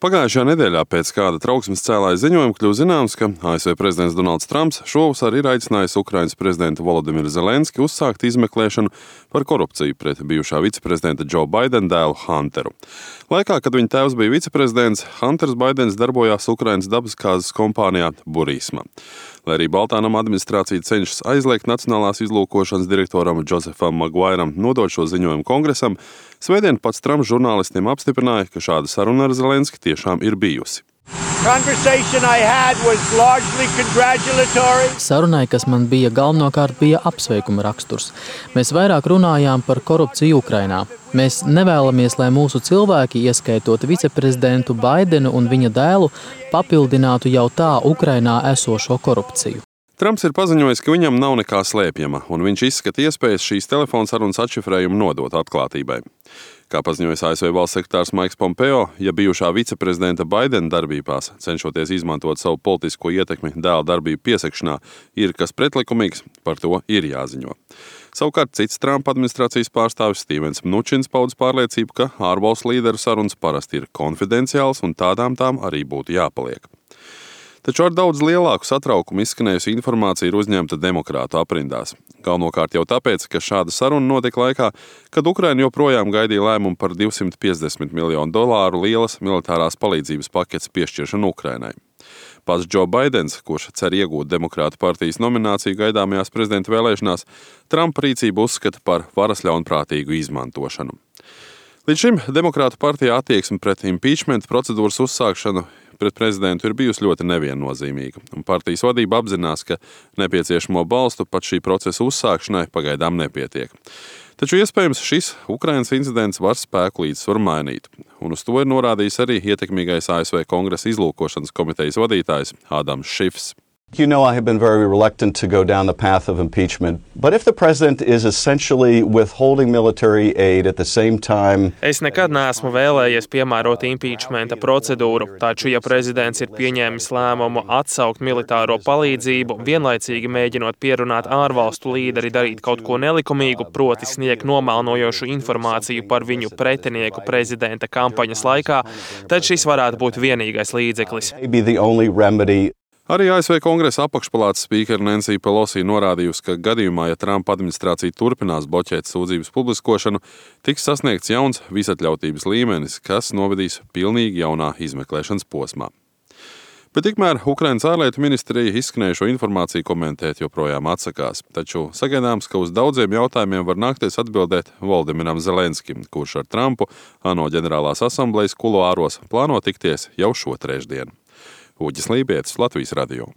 Pagājušajā nedēļā pēc kāda trauksmes cēlāja ziņojuma kļuva zināms, ka ASV prezidents Donalds Trumps šovasar ir aicinājis Ukrainas prezidentu Volodimiru Zelenski uzsākt izmeklēšanu par korupciju pret bijušā viceprezidenta Joe Baidena dēlu Hunteru. Laikā, kad viņa tēvs bija viceprezidents, Hunters Baidens darbojās Ukrainas dabasgāzes kompānijā Burisma. Lai arī Baltānama administrācija cenšas aizliegt Nacionālās izlūkošanas direktoram Josefam Maguiram nodot šo ziņojumu kongresam, svētdien pats Trumps žurnālistiem apstiprināja, ka šāda saruna ar Zelenski tiešām ir bijusi. Sarunai, kas man bija galvenokārt, bija apsveikuma raksturs. Mēs vairāk runājām par korupciju Ukrainā. Mēs nevēlamies, lai mūsu cilvēki, ieskaitot viceprezidentu Baidenu un viņa dēlu, papildinātu jau tā Ukrainā esošo korupciju. Trumps ir paziņojis, ka viņam nav nekā slēpjama, un viņš izskata iespējas šīs telefonsarunas atšifrējumu nodot atklātībai. Kā paziņojis ASV valsts sekretārs Maiks Pompeo, ja bijušā viceprezidenta Baidena darbībās, cenšoties izmantot savu politisko ietekmi dēla darbību piesakšanā, ir kas pretlikumīgs, par to ir jāziņo. Savukārt cits Trumpa administrācijas pārstāvis Stīvens Mnučins paudis pārliecību, ka ārvalstu līderu sarunas parasti ir konfidenciāls un tādām tām arī būtu jāpaliek. Taču ar daudz lielāku satraukumu izskanējusi informācija ir uzņemta demokrātu aprindās. Galvenokārt jau tāpēc, ka šāda saruna notika laikā, kad Ukraina joprojām gaidīja lēmumu par $250 miljonu lielas militārās palīdzības paketes piešķiršanu Ukrainai. Pats Joe Baidens, kurš cer iegūt Demokrātu partijas nomināciju gaidāmajās prezidenta vēlēšanās, Trumpa rīcību uzskata par varas ļaunprātīgu izmantošanu. Līdz šim Demokrātu partijā attieksme pret impeachment procedūras uzsākšanu pret prezidentu ir bijusi ļoti neviennozīmīga, un partijas vadība apzinās, ka nepieciešamo balstu pat šī procesa uzsākšanai pagaidām nepietiek. Taču iespējams šis Ukrainas incidents var spēku līdzsvaru mainīt, un uz to ir norādījis arī ietekmīgais ASV Kongresa izlūkošanas komitejas vadītājs Ādams Šifs. You know, I have been very reluctant to go down the path of impeachment, but if the president is essentially withholding military aid at the same time... Es nekad neesmu vēlējies piemērot impeachmenta procedūru, taču, ja prezidents ir pieņēmis lēmumu atsaukt militāro palīdzību, vienlaicīgi mēģinot pierunāt ārvalstu līderi darīt kaut ko nelikumīgu, proti sniegt nomelnojošu informāciju par viņu pretinieku prezidenta kampaņas laikā, tad šis varētu būt vienīgais līdzeklis. Arī ASV Kongresa apakšpalātas spīkere Nancy Pelosi norādījusi, ka gadījumā, ja Trumpa administrācija turpinās bloķēt sūdzības publiskošanu, tiks sasniegts jauns visatļautības līmenis, kas novedīs pilnīgi jaunā izmeklēšanas posmā. Bet tikmēr Ukrainas ārlietu ministrija izskanējušo informāciju komentēt joprojām atsakās, taču sagaidāms, ka uz daudziem jautājumiem var nākties atbildēt Volodimiram Zelenskim, kurš ar Trumpu ANO ģenerālās asamblejas kuloāros plāno tikties jau šo trešdienu. Uģis Lībietis, Latvijas radio.